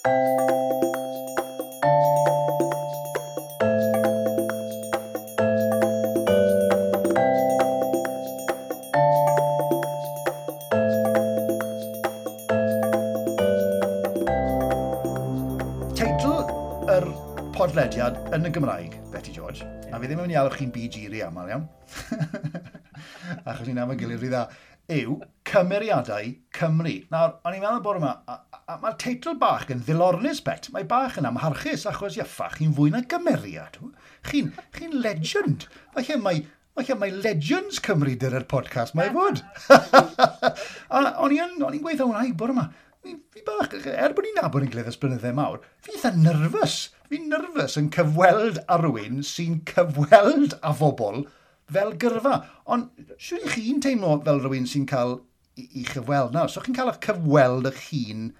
Teitl yr podlediad yn y Gymraeg, Beti George, a fi ddim yn mynd i alw chi'n BG rhy aml, iawn, achos ni'n am y gilydd rhy dda, yw Cymeriadau Cymru. Nawr, o'n i'n meddwl bore yma, a mae'r teitl bach yn ddilornus, Bet. Mae bach yn amharchus, achos iaffa, chi'n fwy na gymeriad. Chi'n legend. Falle mae Legends Cymru dyr podcast, mae fod. A o'n i'n gweithio hwnna i bore yma. Fi bach, er bod ni'n nabod ein gilydd ers blynydde mawr, fi eitha nervous. Fi'n nervous yn cyfweld â rhywun sy'n cyfweld â phobl fel gyrfa. Ond siwr i chi'n teimlo fel rhywun sy'n cael i chyfweld nawr? So chi'n cael eich cyfweld eich hun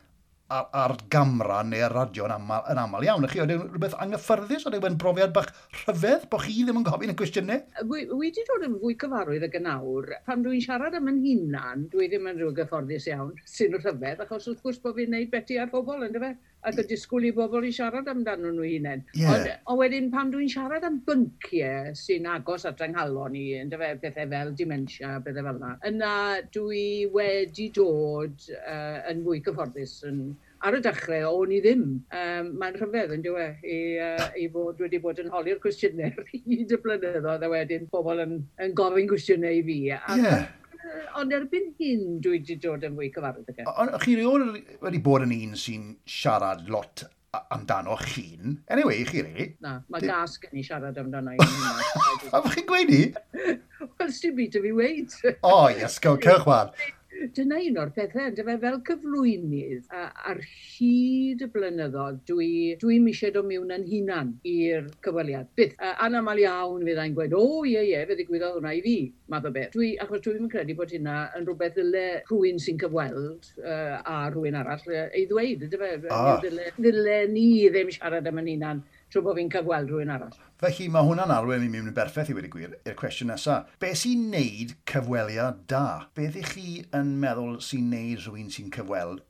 ar gamra neu ar radio yn aml iawn. Chi, oedd rhywbeth anghyffyrddus? Oedd e'n brofiad bach rhyfedd bod chi ddim yn gofyn y cwestiynau? Wi wedi dod yn fwy cyfarwydd ag yn awr. Pan dwi'n siarad am yn hunan, dwi ddim yn rhyw gyfforddus iawn sy'n rhyfedd, achos wrth gwrs bod fi'n neud beti ar bobl, yndyfe? Ac yn disgwyl i bobl i siarad amdano nhw hunain. Yeah. Ond wedyn pan dwi'n siarad am bynciau sy'n agos at yng nghalon i, yndyfe, pethau fel dementia, pethau fel yna, yna dwi wedi dod yn fwy cyfforddus yn ar y dechrau, o'n i ddim. Mae'n rhyfedd yn dyw e, i fod wedi bod yn holi'r cwestiynau ar hyd y blynyddoedd, a wedyn pobl yn gofyn cwestiynau i fi. Ond erbyn hyn, dwi wedi dod yn fwy cyfarwydd ag e. Ond chi rioed wedi bod yn un sy'n siarad lot amdano chi'n? Anyway, chi, really? Na, mae gas gen i siarad amdano i. A chi'n gweud i? Wel, sdim byd i fi weud. O, yes, go, cewch wan. Dyna un o'r pethau, yndyfe, fel cyflwynydd, ar hyd y blynyddoedd, dwi'm eisiau dod mewn yn hunan i'r cyfweliad. Byth. Anaml iawn fyddai'n gweud, o, ie, ie, fe ddigwyddodd hwnna i fi, math o beth. Achos dwi'n credu bod hynna yn rhywbeth ddyle rhywun sy'n cyfweld a rhywun arall ei ddweud, yndyfe? Ddyle ni ddim siarad am yn hunan trwy bod fi'n cyfweld rhywun arall. Felly mae hwnna'n arwain i mewn yn berffaith i wedi gwir i'r cwestiwn nesaf. Be sy'n neud cyfweliad da? Beth ych chi yn meddwl sy'n neud rhywun sy'n cyfweld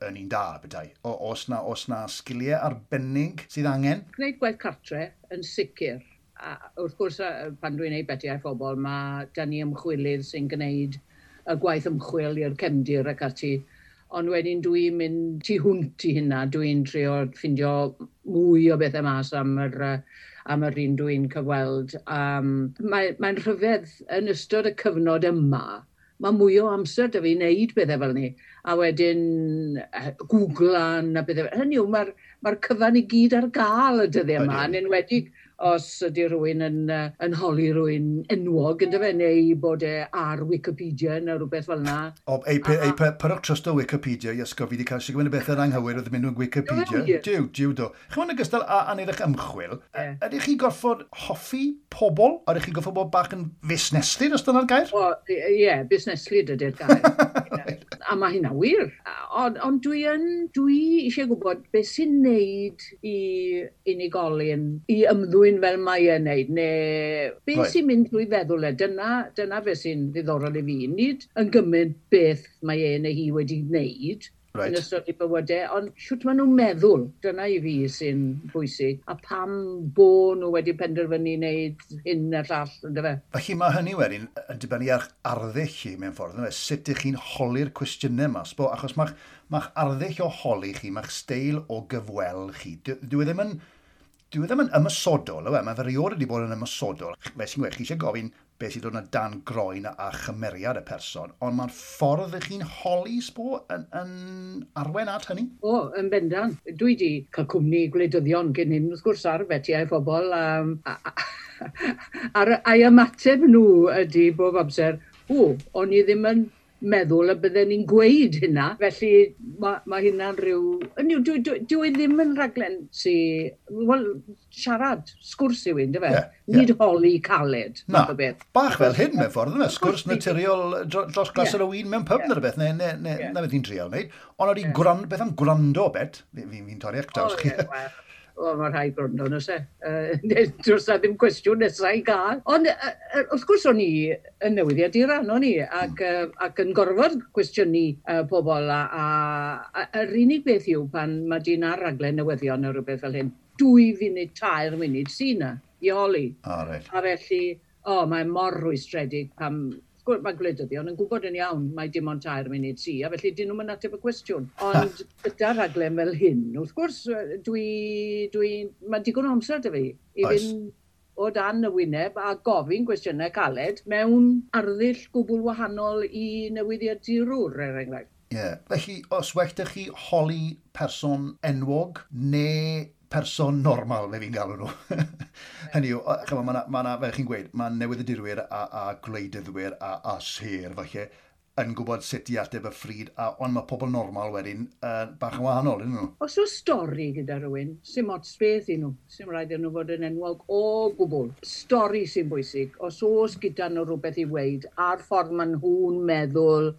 yn un da, bethau? Oes na sgiliau arbennig sydd angen? Gwneud gwaith cartre yn sicr. A wrth gwrs, pan dwi'n neud beti ar phobl, mae da ni ymchwilydd sy'n gwneud y gwaith ymchwil i'r cefndir ac ati. Ond wedyn dwi'n mynd tu hwnt i hynna, dwi'n trio ffindio mwy o bethau mas am yr un dwi'n cyfweld. Mae'n rhyfedd yn ystod y cyfnod yma, mae mwy o amser da fi wneud bethau fel ni. A wedyn Googlan a bethau. Hynny yw, mae'r cyfan i gyd ar gael y dyddiau yma, yn enwedig os ydy rhywun yn holi rhywun enwog, yndyfe, neu bod e ar Wikipedia neu rhywbeth fel yna. O, ei, pyrwch trust o Wikipedia, Iesgo, fi wedi cael sy'n gwneud y bethau anghywir oedd yn mynd o'n Wikipedia. Diw, diw do. Chi'n yn ogystal â neud eich ymchwil, ydych chi gorfod hoffi pobl? Ydych chi gorfod bod bach yn fusneslyd, os dyna'r gair? O, ie, busneslyd ydy'r gair. A mae hynna wir. Ond dwi eisiau gwybod beth sy'n neud i unigolyn i ymddwyn fel mae e'n neud, neu beth sy'n mynd drwy feddwl e. Dyna beth sy'n ddiddorol i fi. Nid yn gymaint beth mae e neu hi wedi wneud yn ystod ei bywydau, ond shwt maen nhw'n meddwl, dyna i fi sy'n bwysig, a pam bo nhw wedi penderfynu wneud hyn a'r llall, yndyfe? Felly mae hynny wedyn yn dibynnu ar arddull chi mewn ffordd, yndyfe? Sut ych chi'n holi'r cwestiynau yma, sbo, achos mae'ch arddull o holi chi, mae'ch steil o gyfweld chi, dyw e ddim yn ymosodol, yw e? Mae fe erioed wedi bod yn ymosodol. Fe sy'n gweud, chi eisiau gofyn beth sy'n dod yna dan groen a chymeriad y person, ond mae'r ffordd ych chi'n holi, sbo, yn arwain at hynny? O, yn bendant. Dwi wedi cael cwmni gwleidyddion cyn hyn, wrth gwrs, ar betiau phobl, a'i ymateb nhw ydy bob amser, o, o'n i ddim yn meddwl y bydden ni'n gweud hynna. Felly mae hynna'n rhyw... Hynny yw, dwi ddim yn rhaglen sy... Wel, siarad, sgwrs yw un, dyfe? Nid holi caled, Na, math o beth. Bach fel hyn mewn ffordd, yna, sgwrs naturiol dros glas ar y win mewn pub neu rhywbeth, neu na beth ni'n trial wneud. Ond oeddi beth am gwrando, Bet? Fi'n torri eich draws chi. O, ie, wel. O, mae rhaid gwrando, nos e. Does na ddim cwestiwn nesaf i gael. Ond wrth gwrs o'n i yn newyddiaduran, o'n i, ac, ac yn gorfod cwestiynu pobl. A yr unig beth yw pan mae dyn ar raglen newyddion neu rhywbeth fel hyn, 2 funud, 3 munud sy'n na i holi. Oh, right. A felly, o, oh, mae mor rwystredig pam mae gwleidyddion yn gwybod yn iawn mae dim ond 3 munud sy, a felly dyn nhw'n ateb y cwestiwn. Ond gyda rhaglen fel hyn, wrth gwrs, mae digon o amser 'da fi i fynd o dan y wyneb a gofyn gwestiynau caled mewn arddull gwbl wahanol i newyddiadurwr, er enghraifft. Ie. Yeah. Felly, os well 'da chi holi person enwog neu person normal, fe fi'n galw nhw? Hynny yw, chymod, mae ma fel chi'n gweud, mae newyddiadurwyr a gwleidyddwyr a sêr, falle, yn gwybod sut i ateb y ffryd, ond mae pobl normal wedyn bach yn wahanol, ydyn nhw? Os oes stori gyda rhywun, sy'n ots beth i nhw, sy'n rhaid iddyn nhw fod yn enwog o gwbl. Stori sy'n bwysig. Os oes gyda nhw rhywbeth i weud, a'r ffordd maen nhw'n meddwl,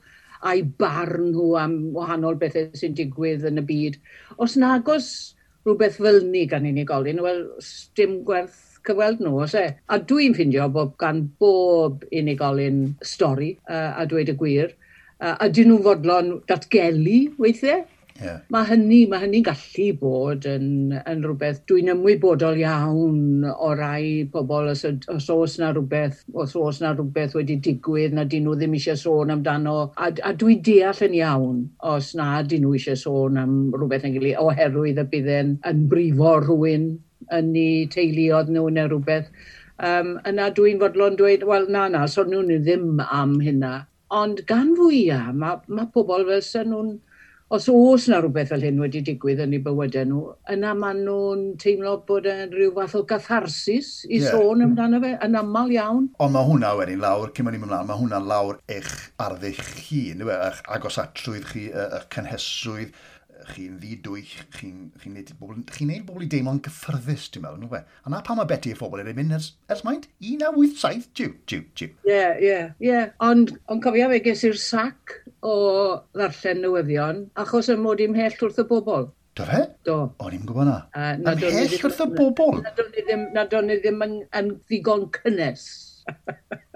a'i barn nhw am wahanol bethau sy'n digwydd yn y byd. Os nagos rhywbeth fel ni gan unigolyn, wel, dim gwerth cyfweld nhw, oes e? A dwi'n ffindio bod gan bob unigolyn stori, a dweud y gwir. A dyn nhw'n fodlon datgelu weithiau. Mae hynny'n gallu bod yn rhywbeth, dwi'n ymwybodol iawn o rai pobl os oes na rhywbeth, os oes na rhywbeth wedi digwydd na dyn nhw ddim eisiau sôn amdano. A dwi'n deall yn iawn os na dyn nhw eisiau sôn am rhywbeth yn gilydd, oherwydd y bydd yn, yn brifo rhywun yn eu teuluoedd nhw neu rhywbeth. Yna dwi'n fodlon dweud, wel na, na, so nhw'n ddim am hynna. Ond gan fwyaf, mae pobl fel sy'n nhw'n os oes na rhywbeth fel hyn wedi digwydd yn eu bywydau nhw, yna maen nhw'n teimlo bod yn rhyw fath o catharsis i sôn amdano fe, yn aml iawn. Ond mae hwnna wedyn lawr, cyn mynd ymlaen, mae hwnna lawr eich arddull chi, ynddo fe? Eich agosatrwydd chi, eich cynhesrwydd, chi'n ddidwyll, chi neud bobl, chi'n neud bobl i deimlo'n gyffyrddus, dwi'n meddwl, ynddo fe? A na pam mae Beti a phobl yn mynd ers maint? 1987, jiw, jiw, jiw. Ie. Ond cofio fe ges i'r sac o ddarllen newyddion, achos y mod i'n mhell wrth y bobl. Do fe? Do. O'n i'n gwybod na. Ymhell wrth y bobl? Na do'n i ddim yn ddigon cynnes.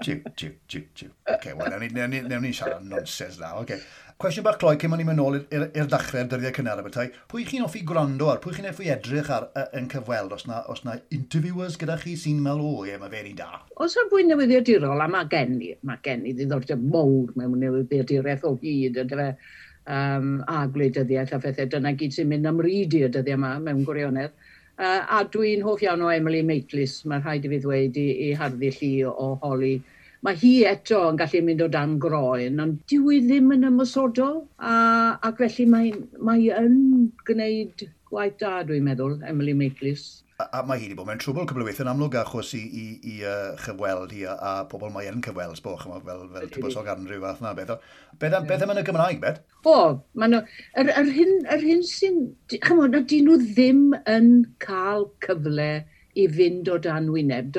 Jiw, jiw, jiw, jiw. Oce, wel, newn ni siarad nonsens na, oce. Cwestiwn bach cloi cyn ni'n mynd nôl i'r dechrau'r dyddiau cynnar bethau. Pwy chi'n hoffi gwrando ar? Pwy chi'n hoffi edrych ar yn cyfweld? Os na interviewers gyda chi sy'n meddwl, o ie, mae fe'n un da? Os yna fwy newyddiadurol, a mae gen i ddiddordeb mowr mewn newyddiaduraeth o hyd, yndyfe, a gwleidyddiaeth a phethau, dyna gyd sy'n mynd am ryd i y dyddiau yma mewn gwirionedd. A dwi'n hoff iawn o Emily Maitlis, mae rhaid i fi ddweud i harddull hi o holi. Mae hi eto yn gallu mynd o dan groen, ond dyw hi ddim yn ymosodol, ac felly mae yn gwneud gwaith da, dwi'n meddwl, Emily Maitlis. A mae hi wedi bod mewn trwbl cwbl o weithio yn amlwg achos i chyfweld hi a pobl mae yn cyfweld, sbo, chymod, fel tywysog Andrew fath na beth. Beth am yn y Gymraeg, Bet? O, ma nhw, yr hyn sy'n, chymod, na dyn nhw ddim yn cael cyfle i fynd o dan wyneb.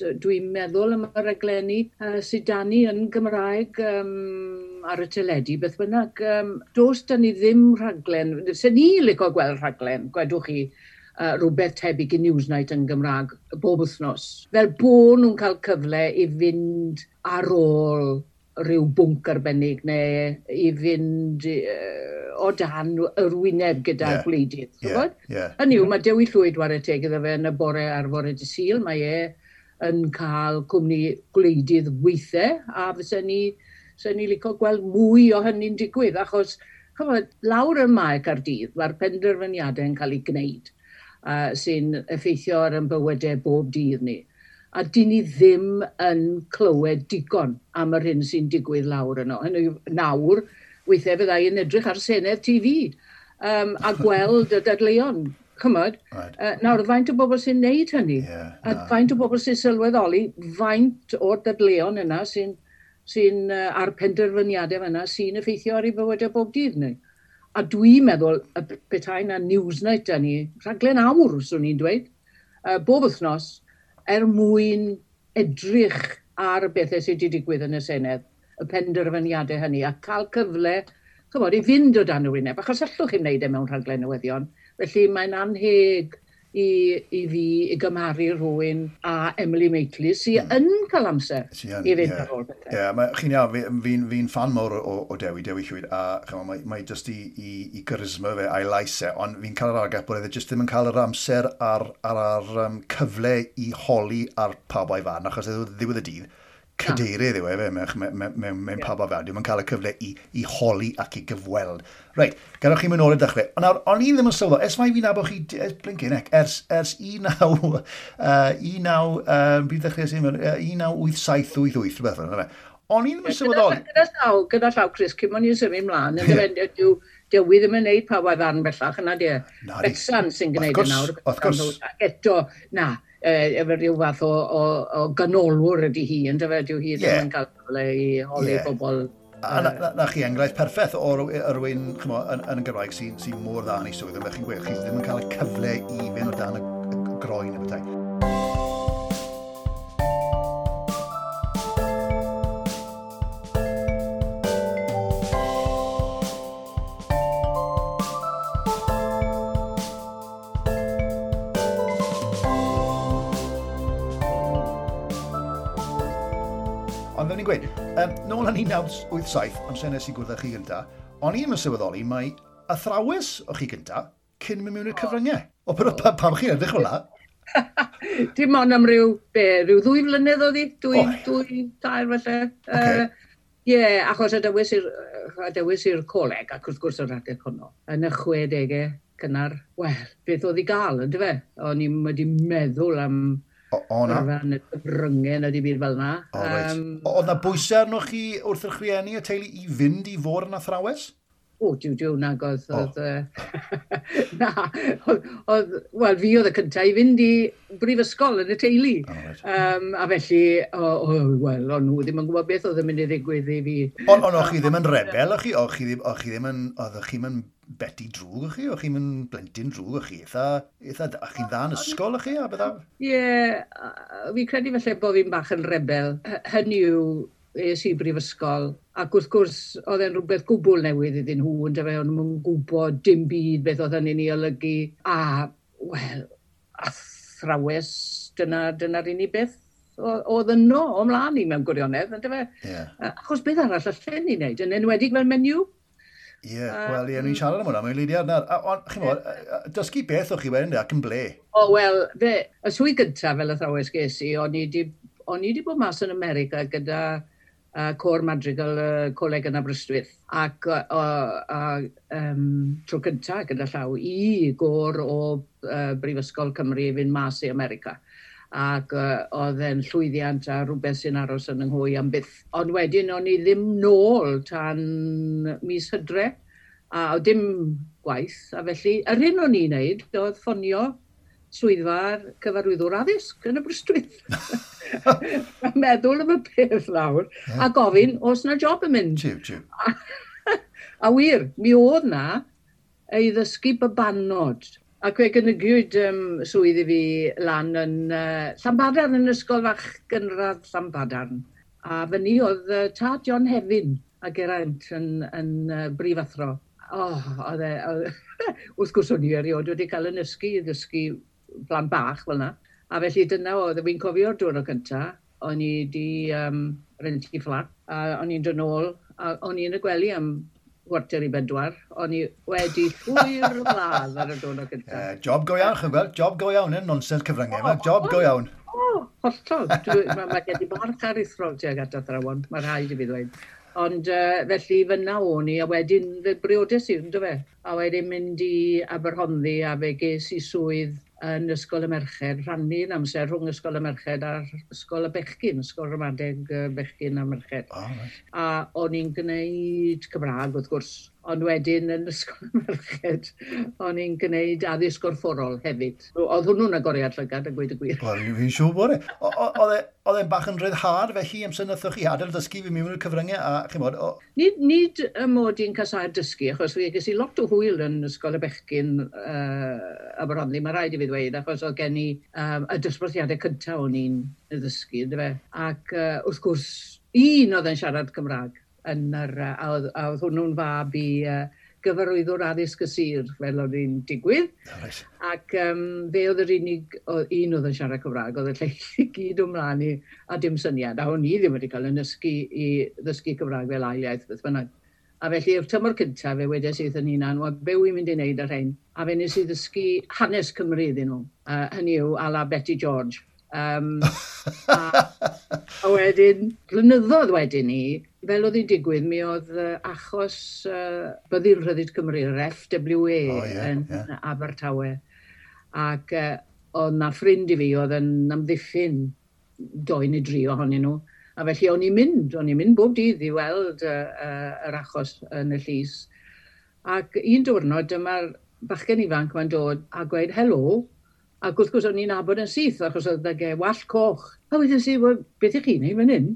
Dwi'n meddwl am y raglenni sydd 'da ni yn Gymraeg ar y teledu, beth bynnag. Does 'da ni ddim rhaglen, se ni licio gweld rhaglen, gwedwch chi, rhywbeth tebyg i Newsnight yn Gymraeg bob wythnos. Fel bo nhw'n cael cyfle i fynd ar ôl rhyw bwnc arbennig neu i fynd o dan yr wyneb gyda gwleidydd. Hynny yw, mae Dewi Llwyd whare teg iddo fe yn y bore ar fore dydd Sul, mae e yn cael cwmni gwleidydd weithiau, a fysa ni licio gweld mwy o hynny'n digwydd, achos chymod, lawr ym Mae Caerdydd, mae'r penderfyniadau yn cael eu gwneud, sy'n effeithio ar ein bywydau bob dydd ni. A dyn ni ddim yn clywed digon am yr hyn sy'n digwydd lawr yno. Hynny yw, nawr, weithiau fydda i'n edrych ar Senedd TV a gweld y dadleuon. Chymod, nawr, faint o bobl sy'n neud hynny? Yeah, a faint o bobl sy'n sylweddoli, faint o'r dadleuon yna sy'n a'r penderfyniadau yna sy'n effeithio ar ei bywydau bob dydd ni. A dwi'n meddwl, y petai na Newsnight da ni, rhaglen awr, swn i'n dweud, bob wythnos, er mwyn edrych ar y bethau sydd wedi digwydd yn y Senedd, y penderfyniadau hynny, a cael cyfle, chymod, i fynd o dan y wyneb, achos allwch chi'n wneud e mewn rhaglen newyddion. Felly mae'n anheg i fi i gymharu rhywun a Emily Maitlis sy'n yn cael amser i fynd ar ôl pethau. Ie, yeah, chi'n iawn, fi'n fan mawr o Dewi Llwyd, a chymod, mae jyst i charisma fe a'i lais e, ond fi'n cael yr argraff bod e jyst ddim yn cael yr amser a'r cyfle i holi ar pawb a'i farn, achos ddiwedd y dydd, cadeirydd yw e fe mewn pawb a fel. Dwi'n cael y cyfle i holi ac i gyfweld. Reit, gadewch chi mynd nôl i'r dechrau. Ond nawr, o'n i ddim yn sylweddoli, ers mai fi'n nabod chi, blincin ec, ers 19, bydd ddechrau sy'n mynd, 1987-88, rhywbeth fel yna. O'n i ddim yn sylweddoli. Gyda llaw, Chris, cyn o'n i'n symud mlaen, yn Dewi ddim yn neud pawb a'i farn bellach yna, di. Betsan sy'n gwneud e nawr. Wrth gwrs. Ac eto, na, efo rhyw fath o ganolwr ydy hi, yn dyfe, dyw hi ddim yn cael cyfle i holi bobl. A na chi enghraifft perffaith o rywun yn y Gymraeg sy'n mor dda yn ei swydd, ond chi'n gweud, chi ddim yn cael y cyfle i fynd o dan y groen y bethau. Ond fel ni'n gweud, nôl yn 1987, amser nes i gwrdd â chi gynta, o'n i ddim yn sylweddoli mai athrawes o chi gynta cyn mynd mewn i'r cyfryngau. O, pam chi'n edrych fel 'na? Dim ond am ryw 2 flynedd oedd hi, 2, 3 falle. Ie, achos adewis i'r coleg, ac wrth gwrs yr adeg honno, yn y 60au cynnar, wel, beth oedd i gael, yndyfe? O'n i'n wedi meddwl am yrfa yn y cyfryngau na dim byd fel 'na. Oedd 'na bwysau arnoch chi wrth eich rhieni y teulu i fynd i fod yn athrawes? O, diw, nag oedd... Na, oedd, wel, fi oedd y cyntaf i fynd i brifysgol yn y teulu. A felly, wel, o'n nhw ddim yn gwybod beth oedd yn mynd i ddigwydd i fi. Ond o'ch chi ddim yn rebel, o'ch chi? O'ch chi ddim yn, oeddech chi'n mynd Betty drwg o'ch chi? O'ch chi'n mynd blentyn drwg o'ch chi? Eitha, o'ch chi'n dda yn ysgol o'ch chi? A bydda? Ie, fi'n credu felly bod fi'n bach yn rebel. Hynny yw, es i brifysgol, ac wrth gwrs oedd e'n rhywbeth gwbl newydd iddyn nhw, yndyfe, o'n nhw'n gwybod dim byd beth oedd hynny'n ei olygu, a, wel, athrawes, dyna'r unig beth oedd yno o mlaen i mewn gwirionedd, yndyfe? Achos beth arall allen ni wneud, yn enwedig fel menyw. Ie, wel, ie, ni'n siarad am hwnna, mae'n leidiad nawr. Ond, chi'n gwybod, dysgu beth o'ch chi wedyn, ac yn ble? O, wel, y swydd gyntaf fel athrawes ges i, o'n i 'di bod mas yn America gyda Côr Madrigal Coleg yn Aberystwyth, ac tro cyntaf gyda llaw i gôr o Brifysgol Cymru i fynd mas i America. Ac oedd e'n llwyddiant a rhywbeth sy'n aros yn yng nghwy am byth. Ond wedyn o'n i ddim nôl tan mis Hydre, a oedd dim gwaith, a felly yr hyn o'n i'n neud oedd ffonio swyddfa'r cyfarwyddwr addysg yn Aberystwyth. Meddwl am y peth lawr, a gofyn oes na job yn mynd. Jiw. A wir, mi oedd na ei ddysgu babanod. Ac fe gynigiwyd swydd i fi lan yn Llanbadarn, yn ysgol fach gynradd Llanbadarn. A fyny oedd tad John Hefin a Geraint yn brifathro. Oedd e, wrth gwrs o'n i erioed wedi cael yn ysgu i ddysgu plant bach fel yna. A felly dyna oedd, fi'n cofio'r diwrnod cyntaf, o'n i wedi rentu fflat, a o'n i'n dod nôl, a o'n i yn y gwely am 3:45, o'n i wedi llwyr ladd ar y diwrnod cyntaf. Job go iawn, chi'n gweld, job go iawn, nonsens cyfryngau yma, job go iawn. O, hollol. Mae gen i barch aruthrol tuag at athrawon, mae rhaid i fi ddweud. Ond felly fyna o'n i, a wedyn fe briodes i, yndyfe? A wedyn mynd i Aberhonddu, a fe ges i swydd yn Ysgol y Merched, rhannu'n amser rhwng Ysgol y Merched a'r Ysgol y Bechgyn, Ysgol Ramadeg Bechgyn a Merched. Oh, right. A o'n i'n gwneud Cymraeg, wrth gwrs, ond wedyn yn Ysgol y Merched, o'n i'n gwneud addysg gorfforol hefyd. Oedd hwnnw'n agoriad llygad, a gweud y gwir. Wel, fi'n siŵr bod e. Oedd e'n bach yn rhyddhad felly, amser nathoch chi adael dysgu fi mewn i'r cyfryngau, a chi'n bod... Nid y mod i'n casáu'r dysgu, achos fi ges i lot o hwyl yn Ysgol y Bechgyn Aberhonddu, mae rhaid i fi ddweud, achos oedd gen i y dosbarthiadau cyntaf o'n i'n ddysgu, yndyfe? Ac wrth gwrs, un oedd yn siarad Cymraeg, yn yr, a oedd hwnnw'n fab i gyfarwyddwr addysg y sir, fel oedd hi'n digwydd. Oh, right. Ac fe oedd yr unig un oedd yn siarad Cymraeg, oedd y lleill i gyd o mlaen i, a dim syniad. A o'n i ddim wedi cael yn ddysgu i ddysgu Cymraeg fel ail iaith, beth bynnag. A felly, i'r tymor cyntaf, fe wedes i wrth yn hunan, wel, be wy'n mynd i wneud ar rhain? A fe nes i ddysgu hanes Cymru iddyn nhw. Hynny yw, à la Betty George. A wedyn, blynyddoedd wedyn ni, fel oedd hi'n digwydd, mi oedd achos Byddin Rhyddid Cymru, yr FWA yn Abertawe. Ac oedd na ffrind i fi oedd yn amddiffyn 2 neu 3 ohonyn nhw. A felly o'n i'n mynd bob dydd i weld yr achos yn y llys. Ac un diwrnod, dyma'r bachgen ifanc ma'n dod a gweud helo. Ac wrth gwrs o'n i'n nabod yn syth, achos oedd ag e wallt coch. A wedes i, wel, beth ych chi'n neud fan hyn?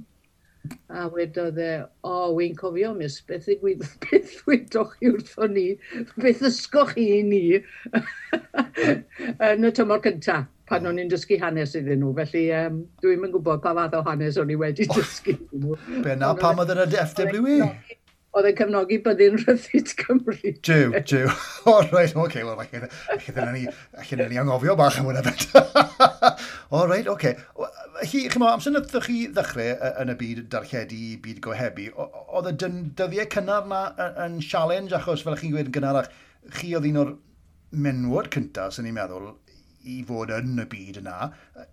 A wedodd e, o, wy'n cofio, miss, beth ddigwyddodd, beth wedoch chi wrthon ni, beth ddysgoch chi i ni yn y tymor cyntaf, pan o'n i'n dysgu hanes iddyn nhw. Felly dwi'm yn gwybod pa fath o hanes o'n i wedi dysgu iddyn nhw. Be na, pam oedd yn y FWA? Oedd yn cefnogi Byddin Rhyddid Cymru. Jiw, jiw. O, reit, oce, wel, allan ni anghofio bach am hwnna beth. O, reit, oce. Chi, chimod, amser wnaethoch chi ddechrau yn y byd darlledu, byd gohebu, oedd y dyddiau cynnar na yn challenge, achos fel chi'n gweud yn gynharach, chi oedd un o'r menywod cyntaf, sy'n ni'n meddwl, i fod yn y byd yna,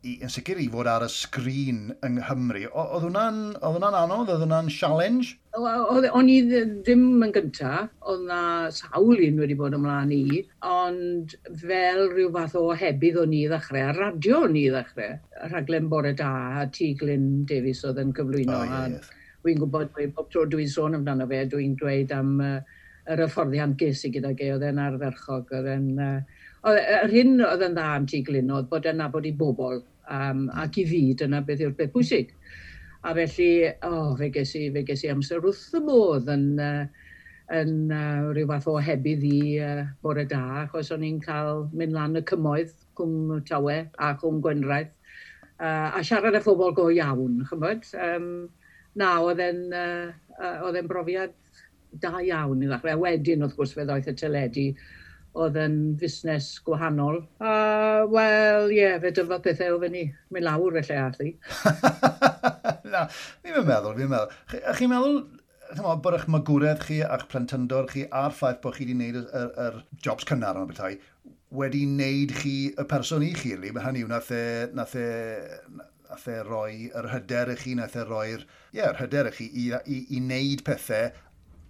yn sicr i fod ar y sgrin yng Nghymru. Oedd hwnna'n anodd? Oedd hwnna'n challenge? O'n i ddim yn gynta, oedd na sawl un wedi bod ymlaen i, ond fel rhyw fath o ohebydd o'n i ddechrau, a radio o'n i ddechrau, rhaglen Bore Da, a T. Glyn Davies oedd yn cyflwyno. Oh, yeah, a wy'n gwybod, bob tro dwi'n sôn amdano fe, dwi'n dweud am yr hyfforddiant ges i gydag e, oedd e'n ardderchog, oedd e'n... Yr hyn oedd yn dda am T. Glyn oedd bod e'n nabod i bobl, ac i fi, dyna beth yw'r beth pwysig. A felly, fe ges i amser wrth y modd yn rhyw fath o ohebydd i Bore Da, achos o'n i'n cael mynd lan y cymoedd, Cwm Tawe a Cwm Gwendraeth, a siarad â phobl go iawn, ch'mod. Na, oedd e'n brofiad da iawn i ddechrau. A wedyn, wrth gwrs, fe ddoeth y teledu, oedd yn fusnes gwahanol. Wel, ie, fe dyfodd pethau o fyny. Mynd lawr felly ath i. Na, fi'n meddwl. Chi'n meddwl, chimod, bod eich magwraeth chi a'ch plentyndod chi a'r ffaith bod chi wedi gwneud yr jobs cynnar yma bethau, wedi wneud chi y person i chi, really. Mae hynny yw, nath e roi yr hyder i chi, nath e roi'r, yr hyder i chi i wneud pethau.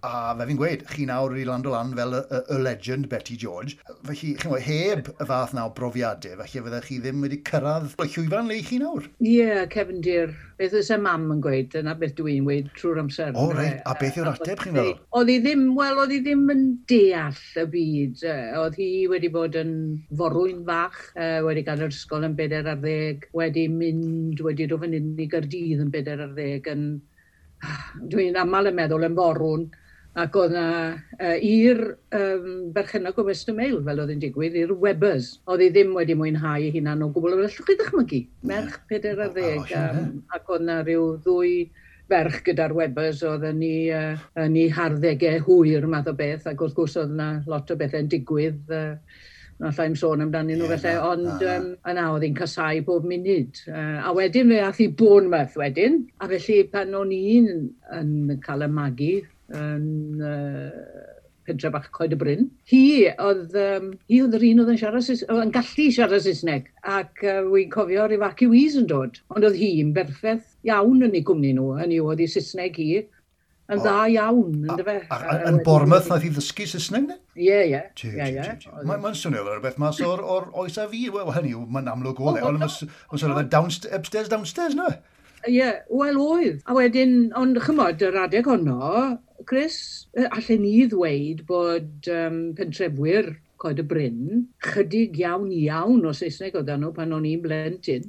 A fe fi'n gweud, chi nawr wedi lando lan fel y legend Beti George. Felly, chi'n gwybod, heb y fath na o brofiadau, felly fyddech chi ddim wedi cyrraedd y llwyfan le chi nawr. Ie, yeah, cefndir. Beth oes y mam yn gweud, dyna beth dwi'n gweud trwy'r amser. O, reit. A beth yw'r ateb, chi'n meddwl? Oedd hi ddim, wel, oedd hi ddim yn deall y byd. Oedd hi wedi bod yn forwyn fach, wedi gadael yr ysgol yn 14, wedi mynd, wedi dod fan hyn i Gaerdydd yn 14, yn... Dwi'n aml yn meddwl yn forwn. Ac oedd na i'r berchennog o Western Mail, fel oedd yn digwydd, i'r Webbers. Oedd hi ddim wedi mwynhau ei hunan o gwbl. Allwch chi ddychmygu? Merch 14. Ac oedd na rhyw ddwy ferch gyda'r Webbers oedd yn ei harddegau hwyr math o beth. Ac wrth gwrs oedd na lot o bethau'n digwydd. Na allai'm sôn amdanyn nhw felly, ond yna oedd hi'n casau bob munud. A wedyn fe ath hi Bournemouth wedyn. A felly pan o'n i'n yn cael y magu, yn pentre bach Coed y Bryn. Hi oedd yr un oedd yn siarad yn gallu siarad Saesneg, ac wy'n cofio evacuees yn dod. Ond oedd hi'n berffaith iawn yn ei gwmni nhw, hynny yw, oedd ei Saesneg hi yn dda iawn, yndyfe. Yn Bournemouth nath hi ddysgu Saesneg, ne? Ie, ie. Mae'n swnio fel rhywbeth mas o'r oes a fi. Wel, hynny yw, mae'n amlwg o le, ond mae'n swnio fel upstairs, downstairs, no? Ie, wel oedd. A wedyn, ond chymod, yr adeg honno, Chris, allen ni ddweud bod pentrefwyr Coed y Bryn, chydig iawn iawn o Saesneg oedd nhw pan o'n i'n blentyn.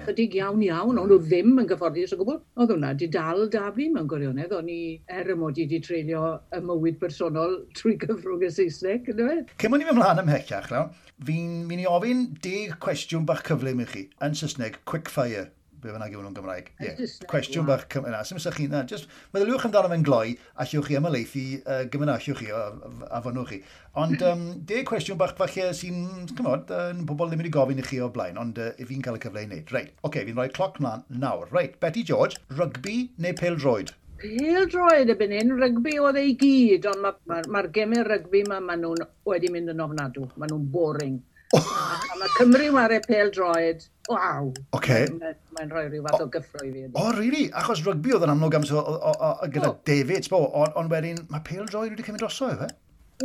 Chydig iawn iawn, ond nhw ddim yn gyfforddus o gwbl. Oedd hwnna di dal da fi mewn gwirionedd, o'n i, er y mod i di treulio y mywyd personol trwy gyfrwng y Saesneg, yndyfe? Cyn bod ni'n mynd ymlaen ymhellach, law, fi'n mynd i ofyn 10 cwestiwn bach cyflym i chi, yn Saesneg, quick fire. Be bynnag yw nhw'n Gymraeg. Yeah. Cwestiwn bach yna. Sy'n mysach chi, na, just meddyliwch amdano fe'n gloi, allwch chi ymhelaethu gymaint allwch chi, a fynnwch chi. Ond 10 cwestiwn bach falle sy'n, chymod, pobl ddim wedi gofyn i chi o'r blaen, ond fi'n cael y cyfle i wneud. Reit, oce, okay, fi'n rhoi cloc mlaen nawr. Reit, Beti George, rygbi neu pêl-droed? Pêl-droed erbyn hyn, rygbi oedd ei gyd, ond mae'r ma gemau rygbi ma, ma nhw'n wedi mynd yn ofnadw. Maen nhw'n boring. A mae Cymru ware pêl-droed, waw. Okay. Mae'n rhoi rhyw fath o gyffro i fi. O, oh, really? Achos rygbi oedd yn amlwg am so, o, gyda oh. David, sbo, ond on wedyn mae pêl-droed wedi cymryd drosodd, efe?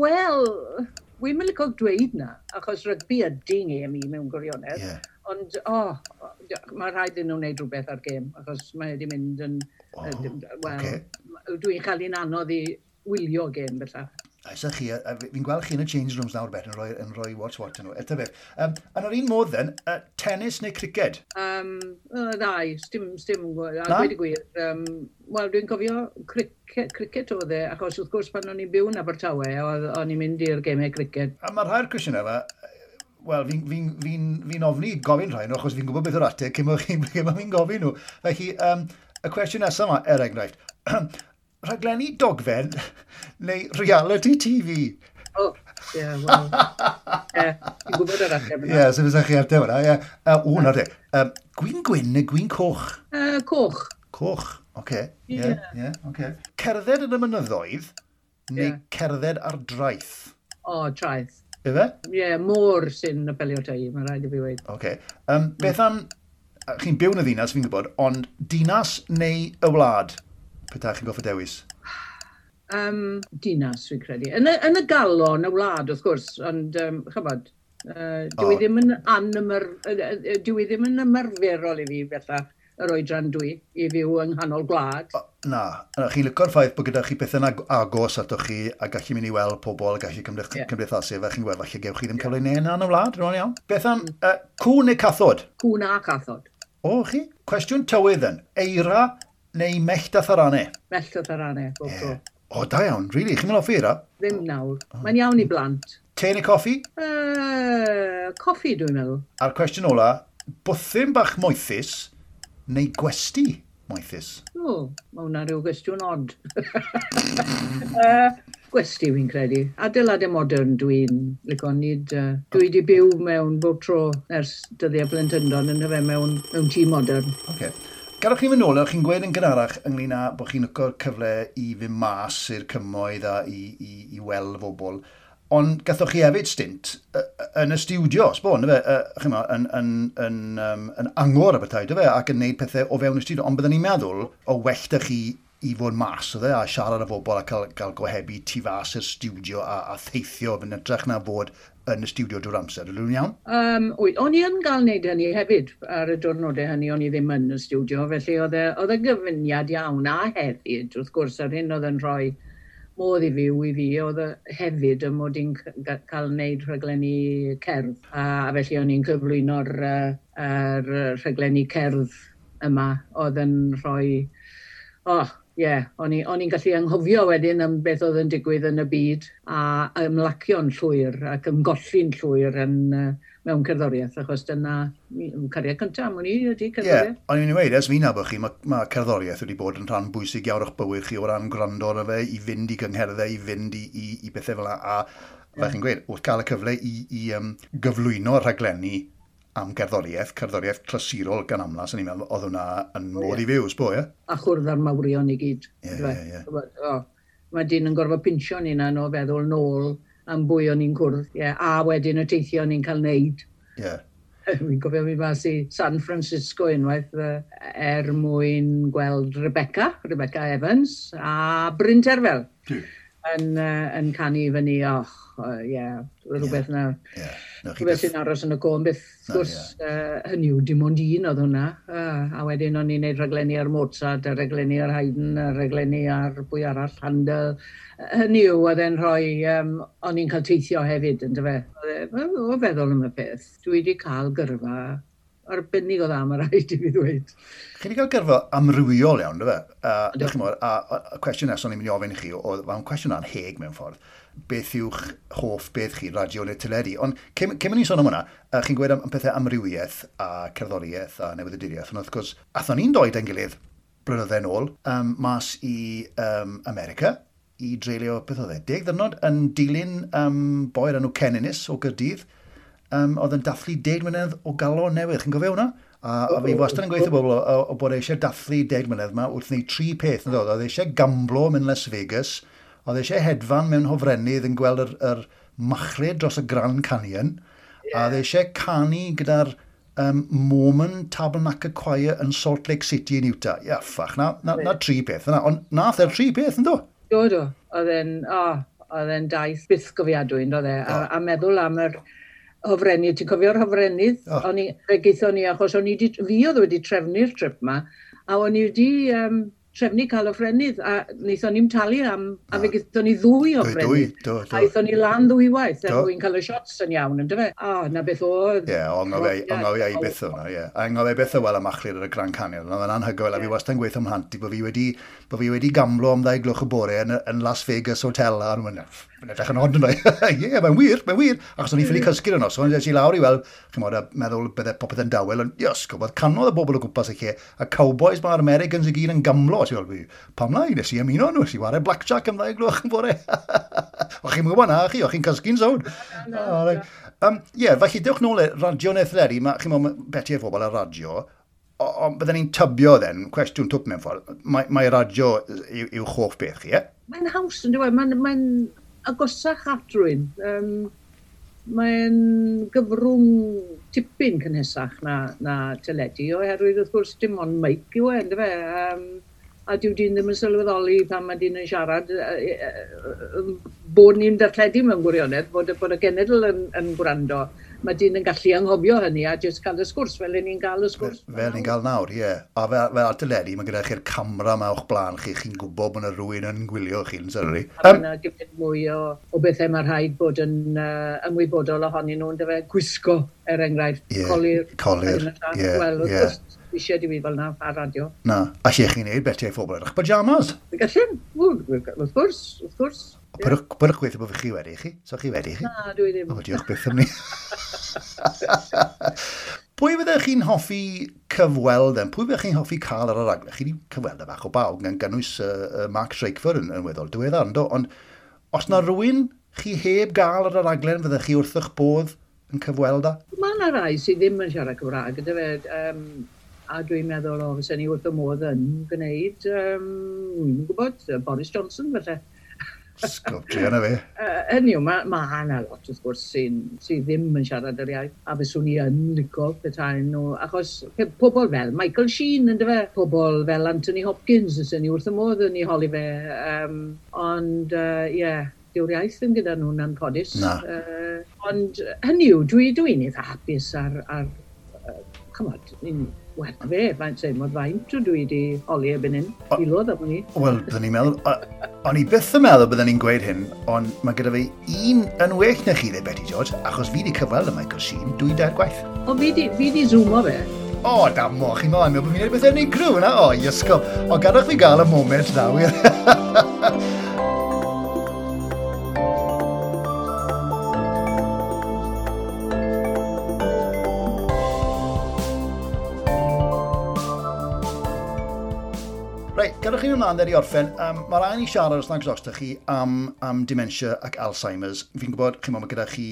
Wel, wi'n mynd licio dweud na, achos rygbi ydy ngêm i mewn gwirionedd. Yeah. Ond, oh, mae rhaid iddyn nhw wneud rhywbeth ar gêm, achos mae wedi mynd yn... Oh, wel, okay. Dwi'n cael un anodd i wylio gêm bellach. Oes chi, fi'n gweld chi yn y change rooms nawr, Bet, yn rhoi what's what yn nhw. Eto beth. Yn yr un modd then, tennis neu criced? Ddau, stim, a gweud y gwir. Wel, dwi'n cofio cricket oedd e, achos wrth gwrs pan o'n i'n byw yn Abertawe, o'n i'n mynd i'r gemau cricket. A mae'r rhai'r cwestiynau yma, wel, fi ofni gofyn rhai nhw, achos fi'n gwybod beth yw'r ateb cyn bod fi'n gofyn nhw. Felly, y cwestiwn nesaf yma, er enghraifft, rhaglenni dogfen neu reality TV? O, ie, wel, ie, fi'n gwybod yr ateb yna. Ie, so fysa chi ateb yna, ie. O, na te. Gwin gwyn neu gwin coch? Coch. Coch, oce. Ie, ie, oce. Cerdded yn y mynyddoedd neu cerdded ar draeth? O, traeth. Ife? Ie, yeah, môr sy'n apelio ata i, mae rhaid i fi weud. Oce. Beth am, chi'n byw yn y ddinas, fi'n gwybod, ond dinas neu y wlad? Petai chi'n gorfod dewis? Dinas, fi'n credu. Yn y galon, y wlad, wrth gwrs, ond, chybod, dwi oh. ddim yn anymar, dwi ddim yn ymarferol i fi bellach yr oedran dwi i fyw yng nghanol gwlad. O, na, chi'n licio'r ffaith bod gyda chi pethau'n agos atoch chi a gallu mynd i weld pobl a gallu cymdeithasu fe, chi'n gweld falle gewch chi ddim cyfle i neud yna yn y wlad, rwy'n iawn. Beth am cŵn neu cathod? Cŵn a cathod. O, chi? Cwestiwn tywydd yn, eira neu mellt a tharanau? Mellt a tharanau, bob tro. O, da iawn, really? Chi'n mynd hoffi eira? Ddim nawr. Oh. Mae'n iawn i blant. Te neu coffi? Coffi, dwi'n meddwl. A'r cwestiwn ola, bwthyn bach moethus neu gwesty moethus? O, mae hwnna rhyw gwestiwn od. Gwesty fi'n credu. Adeiladau modern dwi'n licio nid... Dwi wedi byw mewn bob tro ers dyddiau plentyndod yn hyfe mewn tŷ modern. Okay. Gadewch chi fynd nôl, chi'n gweud yn gynharach ynglyn â bod chi'n licio'r cyfle i fynd mas i'r cymoedd a i weld bobl. Ond gathoch chi hefyd stint yn y stiwdio, sbo, fe, chymod, yn angor a bethau, fe, ac yn neud pethau o fewn y stiwdio. Ond byddwn ni'n meddwl o well da chi i fod mas o dde, a siarad â bobl a cael gohebu tu fas i'r stiwdio a theithio yn hytrach na fod yn y stiwdio drwy'r amser. Ydw i'n iawn? Wyt, o'n i yn gael wneud hynny hefyd ar y diwrnodau hynny, o'n i ddim yn y stiwdio, felly oedd e gyfuniad iawn a hefyd, wrth gwrs, ar hyn oedd yn rhoi modd i fyw i fi, oedd e hefyd y mod i'n cael wneud rhaglenni cerdd, a felly o'n i'n cyflwyno'r rhaglenni cerdd yma, oedd yn rhoi, oh, ie, yeah, o'n i'n gallu anghofio wedyn am beth oedd yn digwydd yn y byd a ymlacio'n llwyr ac ymgolli'n llwyr mewn cerddoriaeth, achos dyna cariad cyntaf am wn i ydy cerddoriaeth. Ie, yeah, o'n i'n dweud, ers fi'n nabod chi, mae cerddoriaeth wedi bod yn rhan bwysig iawn o'ch bywyd chi o ran gwrando arno fe, i fynd i gyngherddau, i fynd i bethau fel 'na, a fel chi'n gweud, wrth gael y cyfle i gyflwyno rhaglenni am gerddoriaeth, cerddoriaeth clasurol gan amla, sy'n ni'n meddwl, oedd hwnna yn modd i fyw, sbo, ie? A chwrdd â'r mawrion i gyd. Ie. Mae dyn yn gorfod pinsio'n hunan o feddwl nôl am bwy o'n i'n cwrdd. Yeah. A wedyn y teithio o'n i'n cael neud. Fi'n cofio mi mas i San Francisco unwaith er mwyn gweld Rebecca Evans a Bryn Terfel. Yn canu i fyny, och, ie, rhywbeth na. Rhywbeth sy'n aros yn y co, beth, gwrs, hynny yw, dim ond un oedd hwnna. A wedyn o'n i'n neud rhaglenni ar Mozart, a rhaglenni ar Haydn, a rhaglenni ar bwy arall, Handel. Hynny yw, oedd e'n rhoi, o'n i'n cael teithio hefyd, yn dyfe. O feddwl am y peth, dwi wedi cael gyrfa Arbennig o dda, mae rhaid i fi ddweud. Chi wedi cael gyrfa amrywiol iawn, do fe? A cwestiwn nesaf o'n i'n mynd i ofyn i chi, oedd mae'n cwestiwn anheg mewn ffordd. Beth yw'ch hoff beth chi, radio neu teledu? Ond cyn mynd i sôn am hwnna, chi'n gweud am pethau amrywiaeth a cerddoriaeth a newyddiaduriaeth, ond wrth gwrs, athon ni'n dod ein gilydd blynydde nôl, mas i America, i dreulio, beth oedd e, 10 ddwrnod yn dilyn boi o'r enw Ken Innes o Gaerdydd, oedd yn dathlu 10 mlynedd o galon newydd. Chi'n gofio hwnna? A fi wastad yn gweithio bobl o bod eisiau dathlu 10 mlynedd yma wrth wneud 3 peth. Yn dod. Oedd eisiau gamblo mewn Las Vegas, oedd eisiau hedfan mewn hofrennydd yn gweld yr machlud dros y Grand Canyon, a oedd eisiau canu gyda'r Mormon Tabernacle Choir yn Salt Lake City yn Utah. Ia, ffach, na 3 peth. Na, ond nath e'r 3 peth, yn do? Do. Oedd e'n daith bythgofiadwy, yn doedd e? A meddwl am yr hofrennydd. Ti'n cofio'r hofrennydd? Oh. Fe gaethon ni, achos fi oedd wedi trefnu'r trip ma, a o'n i wedi trefnu cael hofrennydd, a wnaethon ni'm talu am, a fe gaethon ni 2 hofrennydd. Do. A aethon ni lan 2 waith, er mwyn cael y shots yn iawn, yndyfe? O, na beth oedd. Ie, anghofio i byth o'na, ie. A anghofio i byth o weld y machlud ar y Grand Canyon. Oedd yn anhygoel, a fi wastad yn gweithio ymhlant i bod fi wedi gamblo am 2 gloch y bore yn Las Vegas Hotel, a nhw'n edrych yn od yn dweud, ie, mae'n wir. Achos o'n i ffili cysgu'r yno, so o'n i lawr i weld, chimod, a meddwl bydde popeth yn dawel, ond yes, gwybod, canodd y bobl o gwmpas y lle, a cowboys mae'r Americans i gyd yn gamblo, ti'n gweld, pam lai, nes i ymuno nhw, nes i ware blackjack am 2 gloch yn bore. O'ch chi'n gwybod na, chi, o'ch chi'n cysgu'n sownd. Ie, felly dewch nôl i radio neu theledu, chi'n meddwl, Beti a phobl ar radio, ond bydden ni'n tybio then, cwestiwn twp mewn ffordd, mae radio yw hoff beth chi, ie? Mae'n haws, yn dweud, mae'n agosach at rhywun. Mae'n gyfrwng tipyn cynhesach na teledu, oherwydd wrth gwrs dim ond mic yw e, yndyfe? A dyw dyn ddim yn sylweddoli pan mae dyn yn siarad bod ni'n darlledu mewn gwirionedd, bod y genedl yn gwrando. Mae dyn yn gallu anghofio hynny a jyst cael y sgwrs fel ni'n gael y sgwrs. Fel ni'n gael nawr, ie. A fel ar teledu, mae gyda chi'r camera yma o'ch blaen chi, chi'n gwybod bod yna rhywun yn gwylio chi'n sylwi. A mae yna gymaint mwy o bethau mae rhaid bod yn ymwybodol ohonyn nhw, yndyfe? Gwisgo, er enghraifft, colir. Colir, ie. Wel, wrth gwrs, eisiau di fi fel na ar radio. Na, a lle chi'n neud Beti a'i phobl edrych pyjamas? Gallwn, wrth gwrs, wrth gwrs. Pyrwch gweithio bod chi wedi chi? So chi wedi chi? Na, dwi ddim. O, diolch byth am ni. Pwy fyddech chi'n hoffi cyfweld yn? Pwy fyddech chi'n hoffi cael ar y raglen? Chi wedi cyfweld y bach o bawb, gan gynnwys Mark Drakeford yn weddol diweddar, yndo? Ond os na rhywun chi heb gael ar y raglen, fyddech chi wrth eich bodd yn cyfweld â? Mae yna rai sydd ddim yn siarad Cymraeg, gyda fe, a dwi'n meddwl, o, fysen ni wrth y modd yn gwneud, dwi'n gwybod, Boris Johnson, felly. Sgop, druan â fe. Hynny yw, mae yna lot, wrth gwrs, sydd ddim yn siarad yr iaith, a fyswn i yn licio petai nhw, achos pobl fel Michael Sheen, yndyfe, pobl fel Anthony Hopkins, fysen ni wrth y modd yn ei holi fe, ond, ie, dyw'r iaith ddim gyda nhw'n anffodus. Na. Ond hynny yw, dwi'n eitha hapus ar chymod, wel, fe, faint sef, mod faint dwi wedi holi erbyn hyn, miloedd am ni. Wel, byddwn ni'n meddwl, o'n i byth yn meddwl byddwn ni'n gweud hyn, ond mae gyda fi un yn well na chi, dde, Beti George, achos fi wedi cyfweld â Michael Sheen 2-3 gwaith. O, fi di zoomo fe. O, damo, chi'n meddwl, bod fi'n gwneud beth unigryw yna. O, iesgob. O, gadwch fi gael y moment na, wir. Gadwch chi'n ymlaen i orffen, mae'r rhaid i siarad os nag os chi am dementia ac Alzheimer's. Fi'n gwybod, chi'n meddwl, mae gyda chi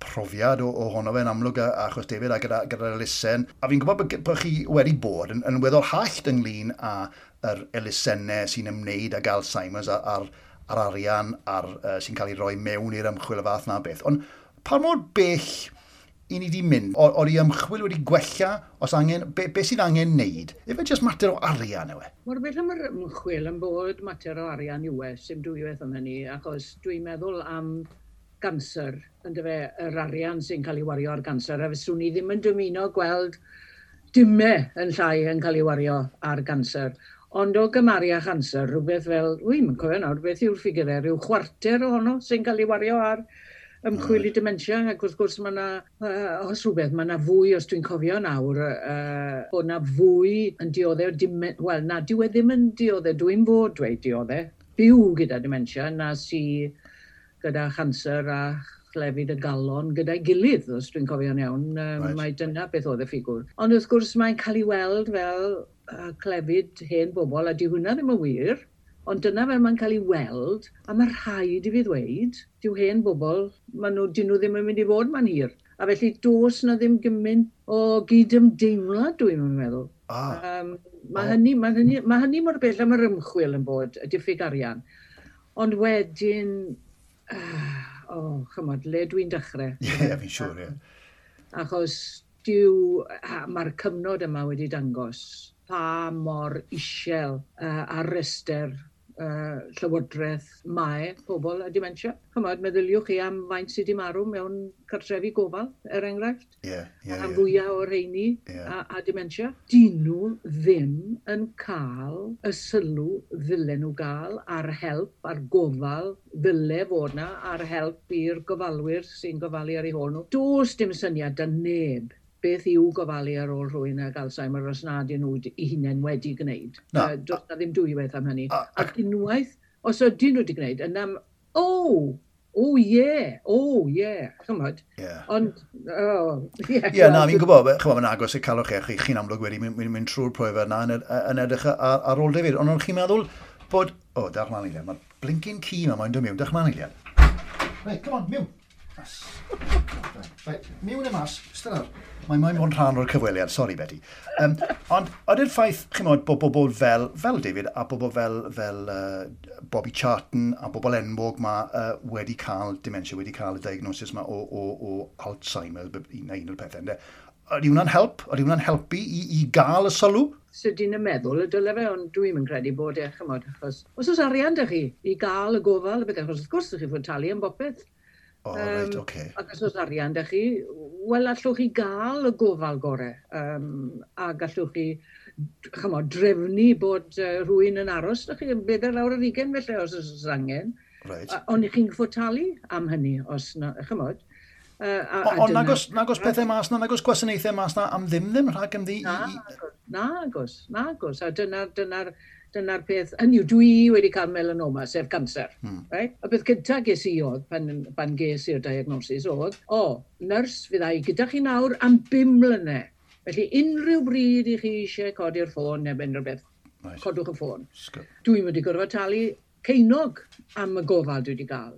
profiad ohono fe'n amlwg achos David a gyda'r elusen. A fi'n gwybod bod chi wedi bod yn weddol hallt ynglyn â yr elusennau sy'n ymwneud ag Alzheimer's a'r arian sy'n cael ei roi mewn i'r ymchwil y fath na beth. Ond pa mor bell i ni wedi mynd? O'r i ymchwil wedi gwella os angen, be sydd angen wneud? Efe jyst mater o arian yw e? Mor bell am yr ymchwil yn bod mater o arian yw e, sy'n dwywaith am hynny, achos dwi'n meddwl am ganser, yndyfe, yr arian sy'n cael ei wario ar ganser, a fyswn i ddim yn dymuno gweld dimau yn llai yn cael ei wario ar ganser. Ond o gymharu â chanser, rhywbeth fel, wy'n cofio nawr, beth yw'r ffigurau, rhyw chwarter ohono sy'n cael ei wario ar Ymchwil i dementia, ac wrth gwrs mae yna, os rhywbeth, mae yna fwy, os dwi'n cofio nawr, bod yna fwy yn dioddef, wel, na, dyw e ddim yn dioddef, dwi'n fod dweud dioddef, byw gyda dementia, na sy gyda chanser a chlefyd y galon gyda'i gilydd, os dwi'n cofio'n iawn. Mae dyna beth oedd y ffigwr. Ond wrth gwrs mae'n cael ei weld fel clefyd hen bobl, a di hwnna ddim yn wir. Ond dyna fel mae'n cael ei weld, a mae rhaid i fi ddweud, dyw hen bobl, maen nhw, dyn nhw ddim yn mynd i fod ma'n hir. A felly does na ddim gymaint o gydymdeimlad, dwi'n meddwl. Mae hynny mor bell am yr ymchwil yn bod, y diffyg arian. Ond wedyn, chymod, le dwi'n dechrau. Ie, yeah, fi'n siŵr, ie. Achos mae'r cyfnod yma wedi dangos pa mor isel ar rester llywodraeth mae pobl â dementia. Chymod, meddyliwch chi am faint sydd wedi marw mewn cartrefi gofal, er enghraifft. Am fwyaf o'r rheini a dementia. Dyn nhw ddim yn cael y sylw ddylen nhw gael a'r help, a'r gofal ddyle fod na, a'r help i'r gofalwyr sy'n gofalu ar eu hôl nhw. Does dim syniad da neb beth yw gofalu ar ôl rhywun ag Alzheimer os nad ydyn nhw eu hunain wedi gwneud. Na. Does na ddim dwywaith am hynny. Ac unwaith, os ydyn nhw wedi gwneud, yna, oh yeah, oh yeah, chymod. Ond, oh, yeah. Ie, na, fi'n gwybod, chymod, mae'n agos i calwch chi, chi'n amlwg wedi mynd trwy'r profiad yna yn edrych ar ôl David. Ond o'n chi'n meddwl bod, o, dewch mlaen eiliad, mae'r blinking ci yma, mae'n dod mewn, dewch mlaen eiliad. Reit, come on, miwn. Reit, miwn e mas, ystod ar. Mae'n moyn bod yn rhan o'r cyfweliad, sori Betty. Ond ydy'r ffaith, chi'n modd, bod bobl fel David a bobl fel Bobby Charlton a bobl enwog ma wedi cael dementia, wedi cael y diagnosis ma o Alzheimer, un o'r pethau, ynde? Ydy hwnna'n help? Ydy hwnna'n helpu i gael y sylw? Sydyn yn meddwl y dyle fe, ond dwi'n yn credu bod e, chymod, achos os oes arian da chi i gael y gofal, y beth, achos wrth gwrs ydych chi fod talu am bopeth. O, reit, oce. Ac os oes arian da chi, wel, allwch chi gael y gofal gore. A gallwch chi, chymod, drefnu bod rhywun yn aros da chi, yn 24 felly, os oes angen. Ond i chi'n fod talu am hynny, os na, chymod. Ond nagos pethau mas na, nagos gwasanaethau mas na am ddim rhag am ddi? Nagos, nagos. A dyna'r peth, hynny yw, dwi wedi cael melanoma, sef cancer. Right? Y peth cyntaf ges i oedd, pan ges i'r diagnosis, oedd, o, nyrs fydda i gyda chi nawr am 5 mlynedd. Felly unrhyw bryd i chi eisiau codi'r ffôn neu unrhyw beth, codwch y ffôn. Dwi'n wedi gorfod talu ceinog am y gofal dwi wedi gael.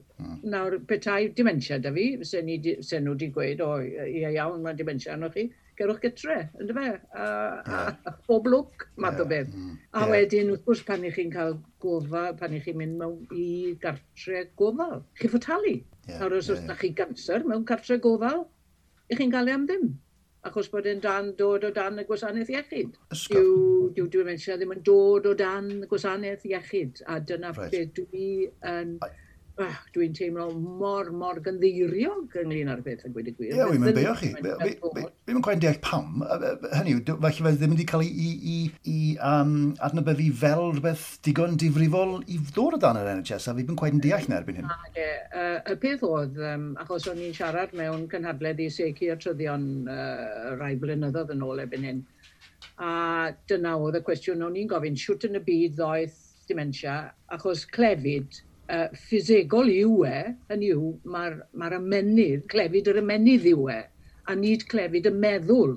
Nawr, petai dementia da fi, se nhw wedi gweud, o, ie iawn, mae dementia arnoch chi, gerwch gytre, ynddo fe? A bob lwc, math o beth. A wedyn, wrth gwrs, pan i chi'n cael gofal, pan i chi'n mynd mewn i gartre gofal, chi fod talu. Nawr, os oes da chi ganser mewn cartre gofal, i chi'n gael e am ddim, achos bod e'n dod o dan y gwasanaeth iechyd. Dyw dementia ddim yn dod o dan y gwasanaeth iechyd, a dyna beth dwi yn... Dwi'n teimlo mor gynddeiriog ynglyn â'r beth, a gweud y gwir. Ie, wi'n mynd beio chi. Fi'n mynd cweit deall pam. Hynny yw, falle fe ddim wedi cael ei adnabyddu fel rhywbeth digon difrifol i ddod o dan yr NHS, a fi ddim cweit yn deall na erbyn hyn. Y peth oedd, achos o'n i'n siarad mewn cynhadledd i seiciatryddion rai blynyddoedd yn ôl erbyn hyn, a dyna oedd y cwestiwn o'n i'n gofyn, shwt yn y byd ddoeth dementia, achos clefyd ffisegol yw e, hynny yw, mae'r ymennydd, clefyd yr ymennydd yw e, a nid clefyd y meddwl.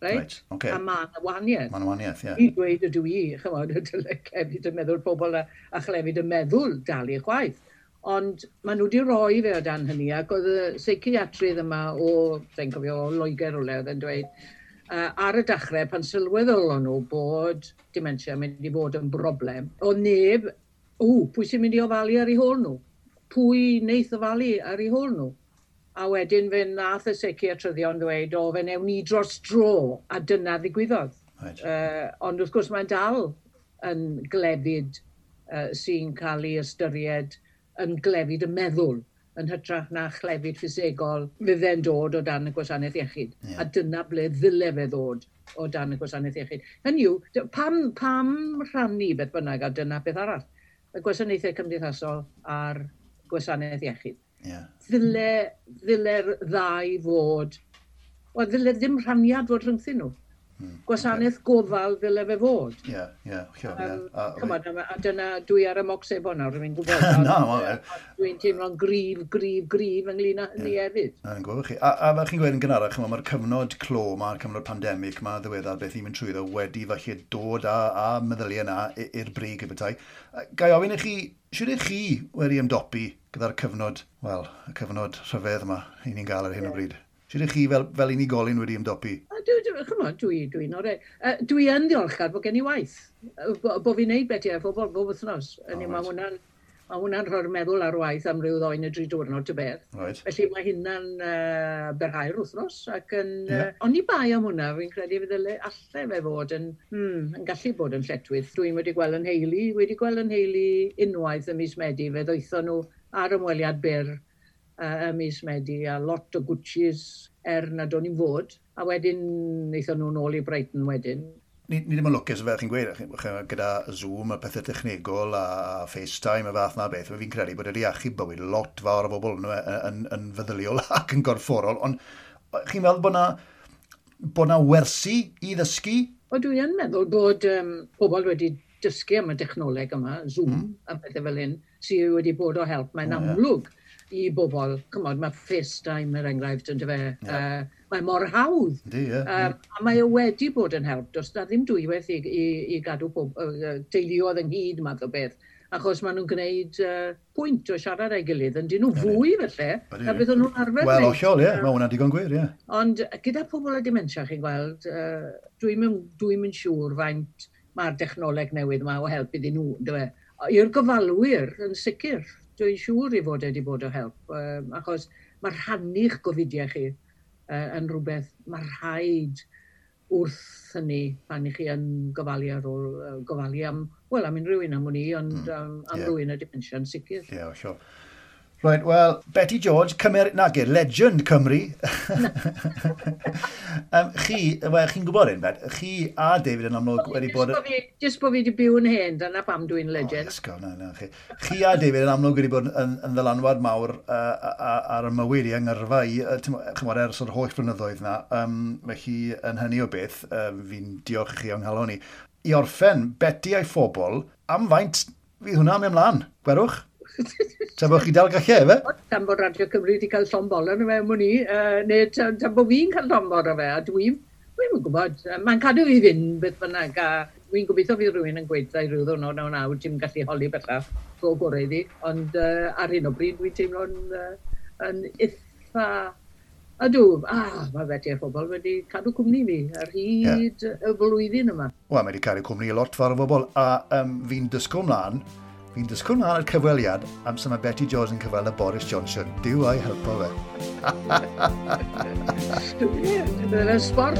Right? Okay. A mae yna wahaniaeth. Mae yna wahaniaeth, ie. I dweud ydw i, chymod, dyle clefyd y meddwl pobl a chlefyd y meddwl dalu chwaith. Ond maen nhw wedi rhoi fe o dan hynny, ac oedd y seiciatrydd yma o, fe'n cofio, o Loegr o le, oedd yn dweud, ar y dechrau, pan sylweddolon nhw bod dementia yn mynd i fod yn broblem, oedd neb, pwy sy'n mynd i ofalu ar eu hôl nhw? Pwy wneith ofalu ar eu hôl nhw? A wedyn fe nath y seiciatryddion ddweud, o, fe newn ni dros dro, a dyna ddigwyddodd. Right. Ond wrth gwrs mae'n dal yn glefyd sy'n cael ei ystyried yn glefyd y meddwl, yn hytrach na chlefyd ffisegol fydde'n dod o dan y gwasanaeth iechyd. Yeah. A dyna ble ddyle fe ddod o dan y gwasanaeth iechyd. Hynny yw, pam rhannu beth bynnag, a dyna beth arall, y gwasanaethau cymdeithasol a'r gwasanaeth iechyd. Yeah. Ddyle'r ddau fod, wel, ddyle ddim rhaniad fod rhyngthyn nhw. Gwasanaeth gofal ddyle fe fod. Ie, ie, hollol, ie. Chymod, a dyna dwi ar y moc sebon nawr, fi'n gwybod. Na, ma' fe. Dwi'n teimlo'n gryf, gryf, gryf ynglyn â hynny hefyd. Na, yn gwybod chi. A fel chi'n gweud yn gynharach, chimod, mae'r cyfnod clo, mae'r cyfnod pandemig, mae ddiweddar beth ni'n mynd trwyddo wedi falle dod â meddyliau yna i'r brig y bethau. Ga i ofyn i chi, shwd ych chi wedi ymdopi gyda'r cyfnod, wel, y cyfnod rhyfedd yma i ni'n gael ar hyn o bryd? Shwd ych chi fel unigolyn wedi ymdopi? A chymod, dwi'n orau. Dwi yn ddiolchgar bod gen i waith. Bo fi'n neud Beti a'i Phobl bob wythnos. Oh, mae hwnna'n rhoi'r meddwl ar waith am ryw 2 neu 3 diwrnod ty beth. Felly mae hynna'n byrhau'r wythnos. Ac yn, yeah. Ond i bai am hwnna, fi'n credu fydd alle fe fod yn gallu bod yn lletchwith. Dwi'n wedi gweld yn nheulu, wedi gweld yn nheulu unwaith ym mis Medi. Fe ddoethon nhw ar ymweliad byr ym mis Medi a lot o Gucci's er nad o'n i'n fod. A wedyn wnaethon nhw nôl i Brighton wedyn. Ni ddim yn lwcus fel chi'n gweud, gyda Zoom a pethau technegol a FaceTime a fath na beth, fi'n credu bod wedi achub bywyd lot fawr o bobl yn feddyliol ac yn gorfforol, ond chi'n meddwl bod na wersi i ddysgu? O, dwi yn meddwl bod pobl wedi dysgu am y dechnoleg yma, Zoom a pethau fel hyn, sydd wedi bod o help. Mae'n amlwg i bobl, chymod, mae FaceTime er enghraifft yn dyfe, mae mor hawdd. Yndi, ie. A mae o wedi bod yn help, does na ddim dwywaith i gadw teuluoedd ynghyd math o beth, achos maen nhw'n gwneud pwynt o siarad â'i gilydd, yn dyn nhw fwy felly, na beth o'n nhw'n arfer Wel, wneud. Hollol, ie, mae hwnna'n digon gwir, ie. Ond gyda pobl â dementia, chi'n gweld, dwi'n mynd siŵr faint mae'r dechnoleg newydd yma o help iddyn nhw, yndyfe. I'r gofalwyr, yn sicr, dwi'n siŵr i fod wedi bod o help, achos mae rhannu'ch gofidiau chi yn rhywbeth, mae rhaid wrth hynny pan i chi yn gofalu ar ôl, gofalu am, wel, am unrhyw un am wn i, ond am rhywun â dementia yn sicr. Ie, hollol. Right, wel, Beti George, Cymer... Nage, legend Cymru. Chi, wel, chi'n gwybod un, Bet, chi a David yn amlwg wedi bod. Jyst bo fi wedi byw yn hen, dyna pam dwi'n legend. Oh, ysgol, na, na, chi. Chi a David yn amlwg wedi bod yn ddylanwad mawr ar y mywyd i, yng ngyrfa i, chymod, ers yr holl flynyddoedd na. Felly, yn hynny o beth, fi'n diolch i chi o'n nghalon i. I orffen, Beti a'i Phobl, am faint fydd hwnna am ymlaen? Gwerwch? Tan bod chi dal gallu, efe? Tan bod Radio Cymru wedi cael llond bol arno fe, mwyn i, neu tan bod fi'n cael llond bol arno fe, a dwi'n gwybod, mae'n cadw fi fynd beth bynnag, a dwi'n gobeithio fydd rhywun yn gweud i ryw ddwrnod naw naw, ti'n gallu holi bellach, go gorau iddi, ond ar hyn o bryd dwi'n teimlo'n yn eitha. Ydw, mae Beti a'i Phobl wedi cadw cwmni fi ar hyd y flwyddyn yma. Wel, mae wedi cadw cwmni i lot fawr o bobl, a fi'n disgwyl mlaen ar cyfweliad amser mae Beti George yn cyfweld â Boris Johnson. Duw a'i helpo fe. Ie, dyna'n sport.